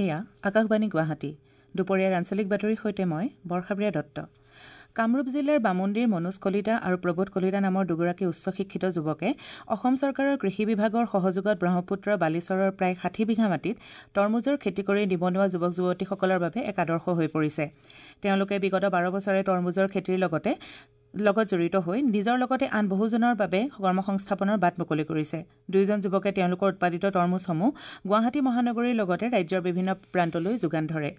এয়া আকাশবাণী গুৱাহাটী। দুপৰীয়াৰ আঞ্চলিক বাতৰিৰ সৈতে মই বৰ্ষাপ্ৰিয়া দত্ত। কামৰূপ জিলাৰ বামুন্দিৰ মনোজ কলিতা আৰু প্ৰবোধ কলিতা নামৰ দুগৰাকী উচ্চ শিক্ষিত যুৱকে অসম চৰকাৰৰ কৃষি বিভাগৰ সহযোগত ব্ৰহ্মপুত্ৰৰ বালিচৰৰ প্ৰায় 60 বিঘা মাটিত তৰমুজৰ খেতি কৰি নিবনুৱা যুৱক যুৱতীসকলৰ বাবে এক আদৰ্শ হৈ পৰিছে। তেওঁলোকে বিগত 12 বছৰে তৰমুজৰ খেতিৰ লগত জড়িত হৈ নিজৰ লগতে আন বহুজনৰ বাবে কৰ্মসংস্থাপনৰ বাট মুকলি কৰিছে। দুয়োজন যুৱকে তেওঁলোকৰ উৎপাদিত তৰমুজসমূহ গুৱাহাটী মহানগৰীৰ লগতে ৰাজ্যৰ বিভিন্ন প্ৰান্তলৈ যোগান ধৰে।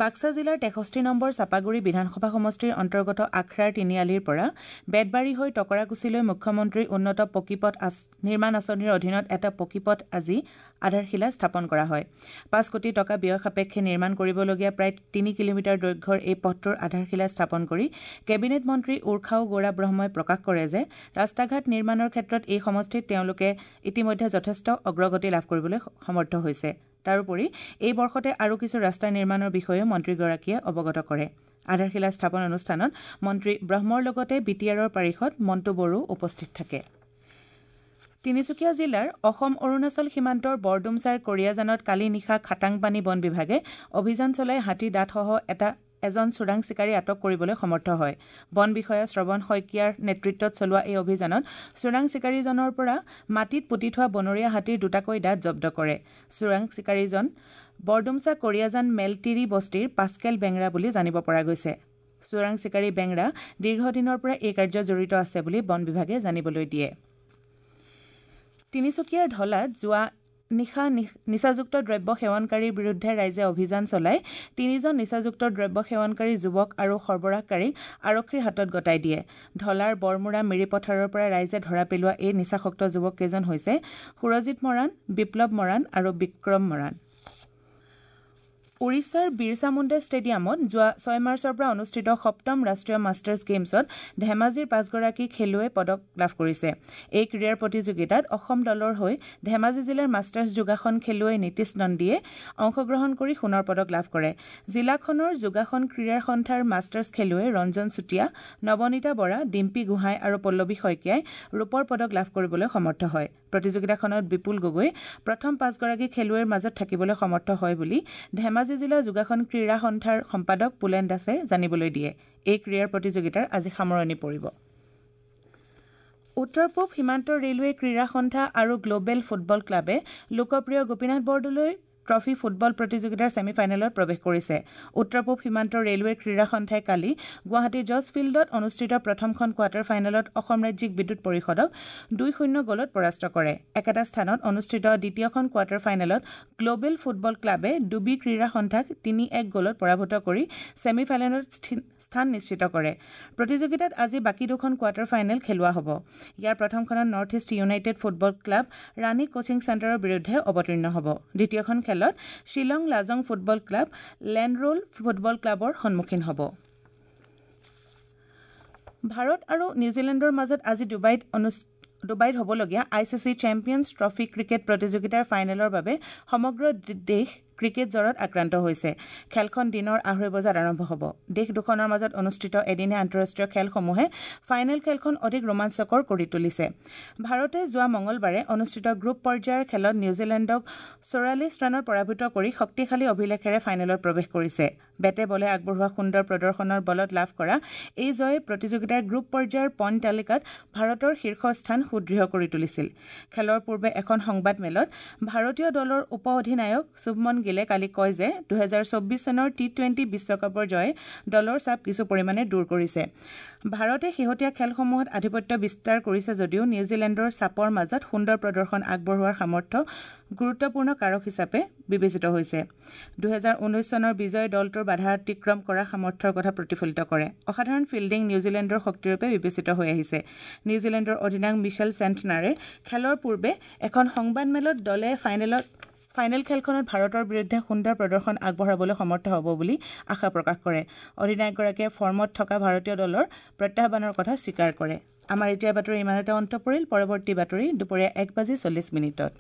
বাক্সা জিলাৰ 63 নম্বৰ চাপাগুৰি বিধানসভা সমষ্টিৰ অন্তৰ্গত আখৰাৰ তিনিআলিৰ পৰা বেতবাৰী হৈ টকৰাকুছিলৈ মুখ্যমন্ত্ৰীৰ উন্নত পকীপথ নিৰ্মাণ আঁচনিৰ অধীনত এটা পকীপথ আজি আধাৰশিলা স্থাপন কৰা হয়। 5 কোটি টকা ব্যয় সাপেক্ষে নিৰ্মাণ কৰিবলগীয়া প্ৰায় 3 কিলোমিটাৰ দৈৰ্ঘ্যৰ এই পথটোৰ আধাৰশিলা স্থাপন কৰি কেবিনেট মন্ত্ৰী উৰ্খাও গৌৰা ব্ৰহ্মই প্ৰকাশ কৰে যে ৰাস্তা ঘাট নিৰ্মাণৰ ক্ষেত্ৰত এই সমষ্টিত তেওঁলোকে ইতিমধ্যে যথেষ্ট অগ্ৰগতি লাভ কৰিবলৈ সমৰ্থ হৈছে। তাৰোপৰি এই বৰ্ষতে আৰু কিছু ৰাস্তা নিৰ্মাণৰ বিষয়েও মন্ত্ৰীগৰাকীয়ে অৱগত কৰে। আধাৰশিলা স্থাপন অনুষ্ঠানত মন্ত্ৰী ব্ৰহ্মৰ লগতে বি টি আৰৰ পাৰিষদ মণ্টু বড়ো উপস্থিত থাকে। তিনিচুকীয়া জিলাৰ অসম অৰুণাচল সীমান্তৰ বৰডুমচাৰ কৰিয়াজানত কালি নিশা খাটাংপানী বন বিভাগে অভিযান চলাই হাতী দাঁতসহ এজন চোৰাং চিকাৰী আটক কৰিবলৈ সমৰ্থ হয়। বন বিষয়া শ্ৰৱণ শইকীয়াৰ নেতৃত্বত চলোৱা এই অভিযানত চোৰাং চিকাৰীজনৰ পৰা মাটিত পুতি থোৱা বনৰীয়া হাতীৰ দুটাকৈ দাঁত জব্দ কৰে। চোৰাং চিকাৰীজন বৰডুমচা কৰিয়াজান মেলতিৰি বস্তিৰ পাস্কেল বেংৰা বুলি জানিব পৰা গৈছে। চোৰাং চিকাৰী বেংৰা দীৰ্ঘদিনৰ পৰা এই কাৰ্যত জড়িত আছে বুলি বন বিভাগে জানিবলৈ দিয়ে। তিনিচুকীয়াৰ ঢলাত যোৱা নিশা নিচাযুক্ত দ্ৰব্য সেৱনকাৰীৰ বিৰুদ্ধে ৰাইজে অভিযান চলাই 3জন নিচাযুক্ত দ্ৰব্য সেৱনকাৰী যুৱক আৰু সৰবৰাহকাৰীক আৰক্ষীৰ হাতত গতাই দিয়ে। ঢলাৰ বৰমুৰা মিৰিপথাৰৰ পৰা ৰাইজে ধৰা পেলোৱা এই নিচাসক্ত যুৱককেইজন হৈছে সুৰজিৎ মৰাণ, বিপ্লৱ মৰাণ আৰু বিক্ৰম মৰাণ। উৰিষ্যাৰ বিৰছা মুণ্ডা ষ্টেডিয়ামত যোৱা 6 মাৰ্চৰ পৰা অনুষ্ঠিত সপ্তম ৰাষ্ট্ৰীয় মাষ্টাৰ্ছ গেইমছত ধেমাজিৰ 5গৰাকী খেলুৱৈয়ে পদক লাভ কৰিছে। এই ক্ৰীড়াৰ প্ৰতিযোগিতাত অসম দলৰ হৈ ধেমাজি জিলাৰ মাষ্টাৰ্ছ যোগাসন খেলুৱৈ নীতিশ নন্দীয়ে অংশগ্ৰহণ কৰি সোণৰ পদক লাভ কৰে। জিলাখনৰ যোগাসন ক্ৰীড়া সন্থাৰ মাষ্টাৰ্ছ খেলুৱৈ ৰঞ্জন চুতীয়া, নৱনীতা বৰা, ডিম্পী গোহাঁই আৰু পল্লৱী শইকীয়াই ৰূপৰ পদক লাভ কৰিবলৈ সমৰ্থ হয়। প্ৰতিযোগিতাখনত বিপুল গগৈ প্ৰথম 5গৰাকী খেলুৱৈৰ মাজত থাকিবলৈ সমৰ্থ হয় বুলি ধেমাজি জিলা যোগাসন ক্ৰীড়া সন্থাৰ সম্পাদক পুলেন দাসে জানিবলৈ দিয়ে। এই ক্ৰীড়াৰ প্ৰতিযোগিতাৰ আজি সামৰণি পৰিব। উত্তৰ পূব সীমান্ত ৰেলৱে ক্ৰীড়া সন্থা আৰু গ্ল'বেল ফুটবল ক্লাবে লোকপ্ৰিয় গোপীনাথ বৰদলৈ ট্ৰফী ফুটবল প্ৰতিযোগিতাৰ ছেমি ফাইনেলত প্ৰৱেশ কৰিছে। উত্তৰ পূব সীমান্ত ৰেলৱে ক্ৰীড়া সন্থাই কালি গুৱাহাটী জজ ফিল্ডত অনুষ্ঠিত প্ৰথমখন কোৱাৰ্টাৰ ফাইনেলত অসম ৰাজ্যিক বিদ্যুৎ পৰিষদক 2-0 গ'লত পৰাস্ত কৰে। একেটা স্থানত অনুষ্ঠিত দ্বিতীয়খন কোৱাৰ্টাৰ ফাইনেলত গ্ল'বেল ফুটবল ক্লাবে ডুবি ক্ৰীড়া সন্থাক 3-1 গ'লত পৰাভূত কৰি ছেমি ফাইনেলত স্থান নিশ্চিত কৰে। প্ৰতিযোগিতাত আজি বাকী দুখন কোৱাৰ্টাৰ ফাইনেল খেলোৱা হ'ব। ইয়াৰ প্ৰথমখনত North East United football club Rani coaching চেণ্টাৰৰ বিৰুদ্ধে অৱতীৰ্ণ হ'ব। দ্বিতীয়খন খেলত শ্বিলং লাজং ফুটবল ক্লাব লেণ্ডৰোল ফুটবল ক্লাবৰ সন্মুখীন হ'ব। ভাৰত আৰু নিউজিলেণ্ডৰ মাজত আজি ডুবাইত হ'বলগীয়া I C C champions trophy cricket প্ৰতিযোগিতাৰ ফাইনেলৰ বাবে সমগ্ৰ দেশ ক্ৰিকেট জ্বৰত আক্ৰান্ত হৈছে। খেলখন দিনৰ 2:30 বজাত আৰম্ভ হ'ব। দেশ দুখনৰ মাজত অনুষ্ঠিত এদিনীয়া আন্তঃৰাষ্ট্ৰীয় খেলসমূহে ফাইনেল খেলখন অধিক ৰোমাঞ্চকৰ কৰি তুলিছে। ভাৰতে যোৱা মঙলবাৰে অনুষ্ঠিত গ্ৰুপ পৰ্যায়ৰ খেলত নিউজিলেণ্ডক 44 ৰানত পৰাভূত কৰি শক্তিশালী অভিলেখেৰে ফাইনেলত প্ৰৱেশ কৰিছে। বেটে বলে আগবঢ়োৱা সুন্দৰ প্ৰদৰ্শনৰ বলত লাভ কৰা এই জয়ে প্ৰতিযোগিতাৰ গ্ৰুপ পৰ্যায়ৰ পইণ্ট তালিকাত ভাৰতৰ শীৰ্ষ স্থান সুদৃঢ় কৰি তুলিছিল। খেলৰ পূৰ্বে এখন সংবাদমেলত ভাৰতীয় দলৰ উপ অধিনায়ক শুভমন গিলে কালি কয় যে 2024 চনৰ টি-20 বিশ্বকাপৰ জয়ে দলৰ চাপ কিছু পৰিমাণে দূৰ কৰিছে। ভাৰতে শেহতীয়া খেলসমূহত আধিপত্য বিস্তাৰ কৰিছে যদিও নিউজিলেণ্ডৰ চাপৰ মাজত সুন্দৰ প্ৰদৰ্শন আগবঢ়োৱাৰ সামৰ্থ্য গুৰুত্বপূৰ্ণ কাৰক হিচাপে বিবেচিত হৈছে। 2019 চনৰ বিজয় দলটোৰ বাধা অতিক্ৰম কৰাৰ সামৰ্থ্যৰ কথা প্ৰতিফলিত কৰে। অসাধাৰণ ফিল্ডিং নিউজিলেণ্ডৰ শক্তিৰূপে বিবেচিত হৈ আহিছে। নিউজিলেণ্ডৰ অধিনায়ক মিচেল চেণ্টনাৰে খেলৰ পূৰ্বে এখন সংবাদমেলত দলে ফাইনেল খেলখনত ভাৰতৰ বিৰুদ্ধে সুন্দৰ প্ৰদৰ্শন আগবঢ়াবলৈ সমৰ্থ হ'ব বুলি আশা প্ৰকাশ কৰে। অধিনায়কগৰাকীয়ে ফৰ্মত থকা ভাৰতীয় দলৰ প্ৰত্যাহ্বানৰ কথা স্বীকাৰ কৰে। আমাৰ এতিয়াৰ বাতৰি ইমানতে অন্ত পৰিল। পৰৱৰ্তী বাতৰি দুপৰীয়া 1:40।